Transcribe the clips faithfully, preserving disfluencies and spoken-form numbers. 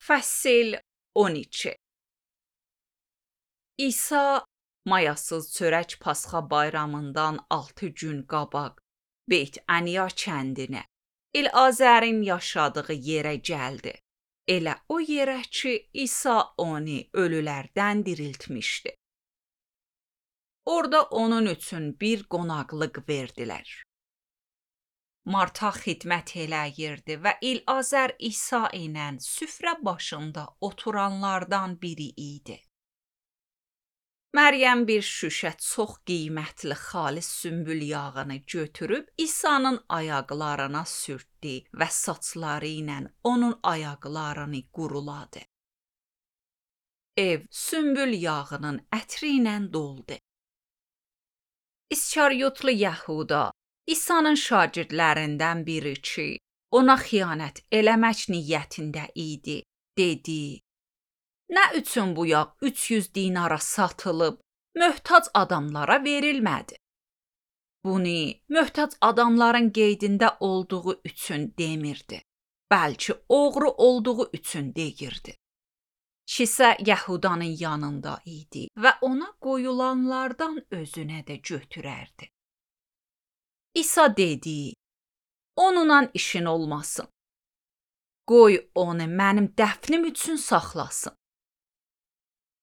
Fəsil on iki. İsa mayasız çörək Pasxa bayramından altı gün qabaq Beyt Əniya kəndinə, İlazərin yaşadığı yerə gəldi. Elə o yerə ki, İsa onu ölülərdən diriltmişdi. Orada onun üçün bir qonaqlıq verdilər. Marta xidmət eləyirdi və İlazər İsa ilə süfrə başında oturanlardan biri idi. Məryəm bir şüşə çox qiymətli xalis sümbül yağını götürüb İsa'nın ayaqlarına sürtdü və saçları ilə onun ayaqlarını quruladı. Ev sümbül yağının ətri ilə doldu. İskariyotlu Yəhuda, İsa'nın şagirdlərindən biri ki, ona xiyanət eləmək niyyətində idi, dedi: "Nə üçün bu yağ üç yüz dinara satılıb, möhtac adamlara verilmədi?" Bunu möhtac adamların qeydində olduğu üçün demirdi, bəlkə oğru olduğu üçün deyirdi. Kisə Yəhudanın yanında idi və ona qoyulanlardan özünə də götürərdi. İsa dedi: "Onunla işin olmasın. Qoy onu mənim dəfnim üçün saxlasın.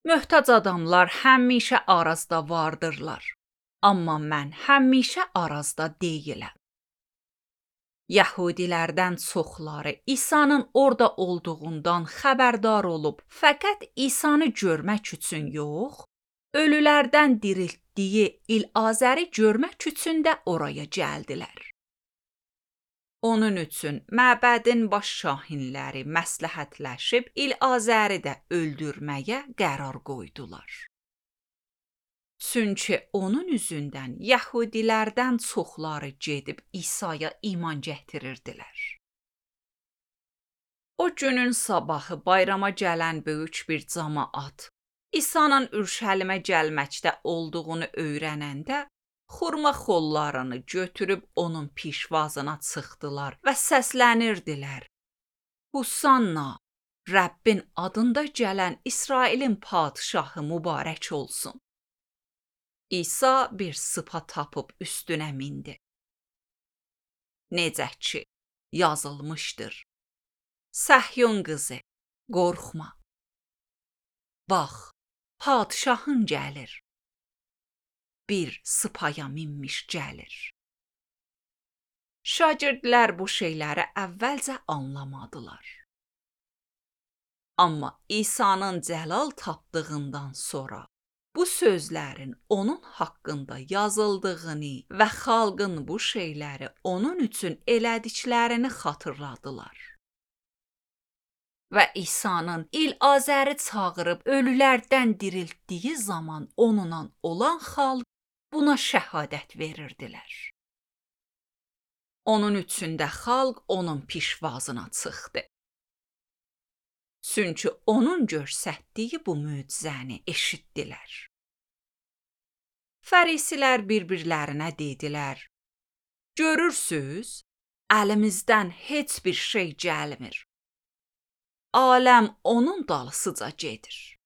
Möhtac adamlar həmişə arazda vardırlar, amma mən həmişə arazda deyiləm." Yəhudilərdən çoxları İsa'nın orada olduğundan xəbərdar olub, fəqət İsa'nı görmək üçün yox, ölülərdən diriltdiyi İlazəri görmək üçün də oraya gəldilər. Onun üçün məbədin baş şahinləri məsləhətləşib İlazəri də öldürməyə qərar qoydular. Çünki onun üzündən Yəhudilərdən çoxları gedib İsa'ya iman gətirirdilər. O günün sabahı bayrama gələn böyük bir camaat İsa'nın Ürşəlimə gəlməkdə olduğunu öyrənəndə xurma xollarını götürüb onun pişvazına çıxdılar və səslənirdilər: "Husanna, Rəbbin adında gələn İsrailin padşahı mübarək olsun." İsa bir sıpa tapıb üstünə mindi. Necə ki, yazılmışdır: "Səhyun qızı, qorxma. Bax, padşahın gəlir. Bir sıpaya minmiş gəlir." Şagirdlər bu şeyləri əvvəlcə anlamadılar. Amma İsa'nın cəlal tapdığından sonra bu sözlərin onun haqqında yazıldığını və xalqın bu şeyləri onun üçün elədiklərini xatırladılar. Və İsa'nın İlazəri çağırıb ölülərdən diriltdiyi zaman onunla olan xalq buna şəhadət verirdilər. Onun üçün də xalq onun pişvazına çıxdı. Çünki onun göstərdiyi bu möcüzəni eşitdilər. Fərisilər bir-birlərinə dedilər: "Görürsüz, əlimizdən heç bir şey gəlmir. Aləm onun dalısıca gedir."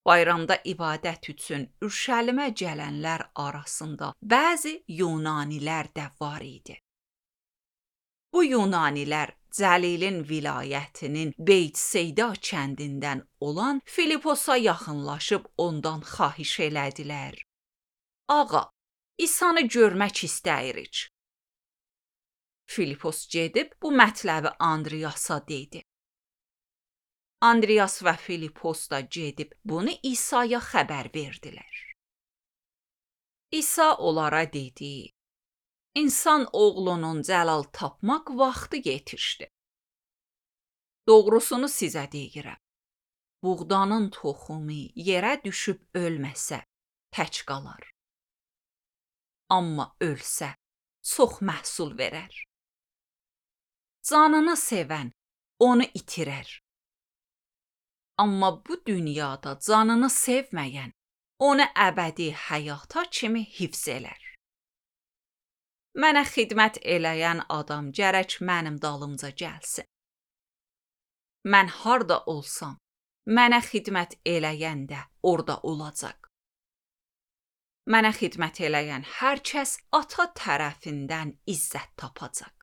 Bayramda ibadət üçün Ürşəlimə gələnlər arasında bəzi Yunanilər də var idi. Bu Yunanilər Cəlilin vilayətinin Beytseyda kəndindən olan Filiposa yaxınlaşıb ondan xahiş elədilər: "Ağa, İsa'nı görmək istəyirik." Filipos gedib bu mətləbi Andriyasa dedi. Andriyas və Filipos da gedib bunu İsa'ya xəbər verdilər. İsa onlara dedi: "İnsan oğlunun cəlal tapmaq vaxtı yetişdi. Doğrusunu sizə deyirəm, buğdanın toxumu yerə düşüb ölməsə, tək qalar. Amma ölsə, çox məhsul verər. Canını sevən onu itirər. Amma bu dünyada canını sevməyən onu əbədi həyata kimi hifz elər. Mənə xidmət eləyən adam gərək mənim dalımca gəlsin. Mən harda olsam, mənə xidmət eləyən də orada olacaq. Mənə xidmət eləyən hər kəs ata tərəfindən izzət tapacaq.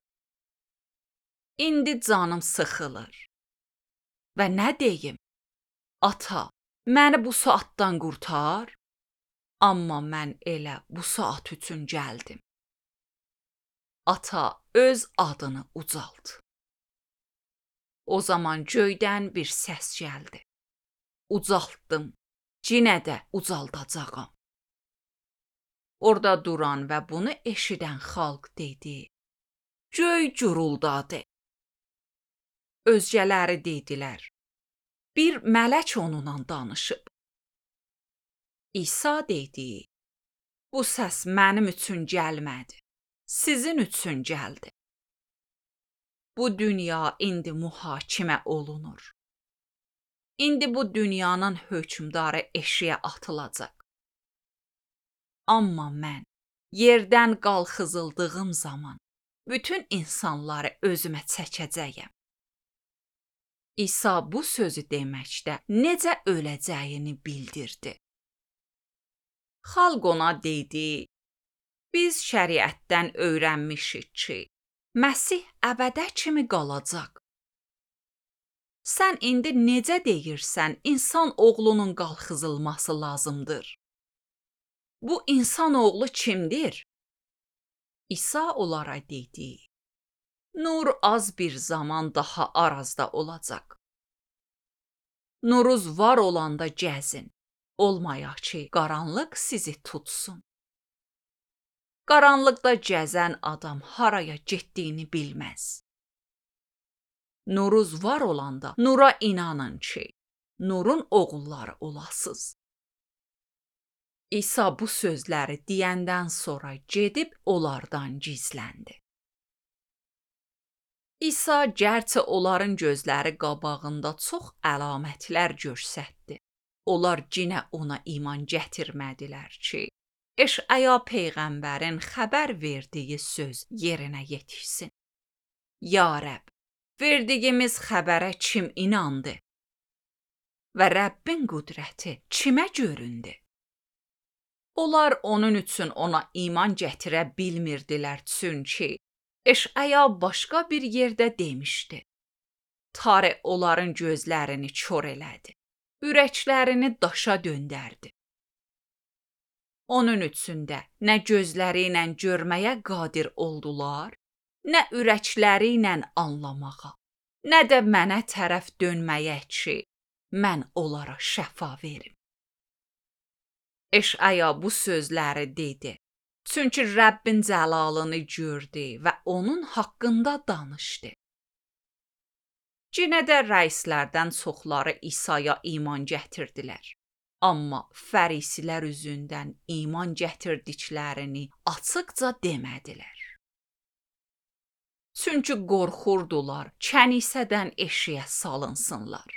İndi canım sıxılır. Və nə deyim? Ata, məni bu saatdan qurtar. Amma mən elə bu saat üçün gəldim. Ata, öz adını ucalt. O zaman göydən bir səs gəldi. Ucaltdım, cinə də ucaldacağam. Orada duran və bunu eşidən xalq dedi. Göy guruldadı. Özgələri dedilər. Bir mələk onunla danışıb. İsa dedi. Bu səs mənim üçün gəlmədi. Sizin üçün gəldi. Bu dünya indi mühakimə olunur. İndi bu dünyanın hökmdarı eşiyə atılacaq. Amma mən yerdən qalxızıldığım zaman bütün insanları özümə çəkəcəyəm. İsa bu sözü deməkdə necə öləcəyini bildirdi. Xalq ona dedi, biz şəriətdən öyrənmişik ki, Məsih əbədə kimi qalacaq. Sən indi necə deyirsən, insan oğlunun qalxızılması lazımdır? Bu insan oğlu kimdir? İsa onlara dedi, nur az bir zaman daha arazda olacaq. Nuruz var olanda gəzin, olmayaq ki, qaranlıq sizi tutsun. Qaranlıqda gəzən adam haraya getdiyini bilməz. Nuruz var olanda nura inanın ki, nurun oğulları olasınız. İsa bu sözləri deyəndən sonra gedib onlardan gizləndi. İsa gərçə onların gözləri qabağında çox əlamətlər göstərdi. Onlar yenə ona iman gətirmədilər ki, Eşaya peyğəmbərin xəbər verdiyi söz yerinə yetişsin. Ya Rəbb, verdiyimiz xəbərə kim inandı? Və Rəbbin qüdrəti kimə göründü? Onlar onun üçün ona iman gətirə bilmirdilər çünki Eşaya başqa bir yerdə demişdi. Tarix onların gözlərini kör elədi, ürəklərini daşa döndərdi. Onun üçün də nə gözləri ilə görməyə qadir oldular, nə ürəkləri ilə anlamağa, nə də mənə tərəf dönməyə ki, mən onlara şəfa verim. Eşaya bu sözləri dedi, çünki Rəbbin cəlalını gördü və onun haqqında danışdı. Yenə də rəislərdən çoxları İsa'ya iman gətirdilər. Amma fərisilər üzündən iman gətirdiklərini açıqca demədilər. Çünki qorxurdular kənisədən eşiyə salınsınlar.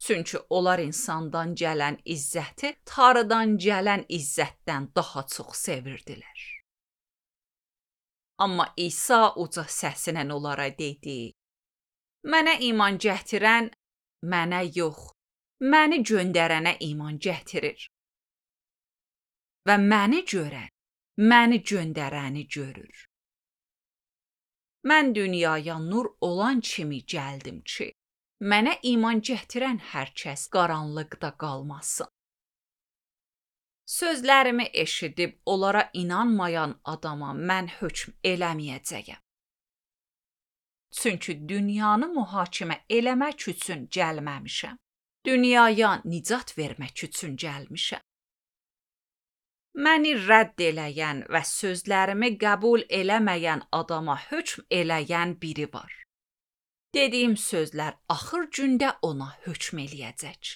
Çünki onlar insandan gələn izzəti Tanrıdan gələn izzətdən daha çox sevirdilər. Amma İsa uca səsinə onlara dedi, mənə iman gətirən mənə yox, məni göndərənə iman gətirir. Və məni görən, məni göndərəni görür. Mən dünyaya nur olan kimi gəldim ki, mənə iman gətirən hər kəs qaranlıqda qalmasın. Sözlərimi eşidib onlara inanmayan adama mən hökm eləməyəcəyəm. Çünki dünyanı mühakimə eləmək üçün gəlməmişəm. Dünyaya nicat vermək üçün gəlmişəm. Məni rədd eləyən və sözlərimi qəbul eləməyən adama hökm eləyən biri var. Dediyim sözlər axır gündə ona hökm eləyəcək.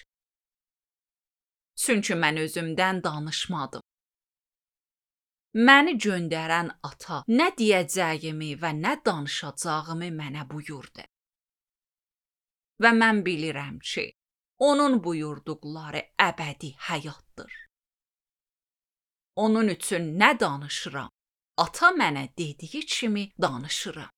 Çünki mən özümdən danışmadım. Məni göndərən ata nə deyəcəyimi və nə danışacağımı mənə buyurdu. Və mən bilirəm ki, onun buyurduqları əbədi həyatdır. Onun üçün nə danışıram, ata mənə dediyi kimi danışıram.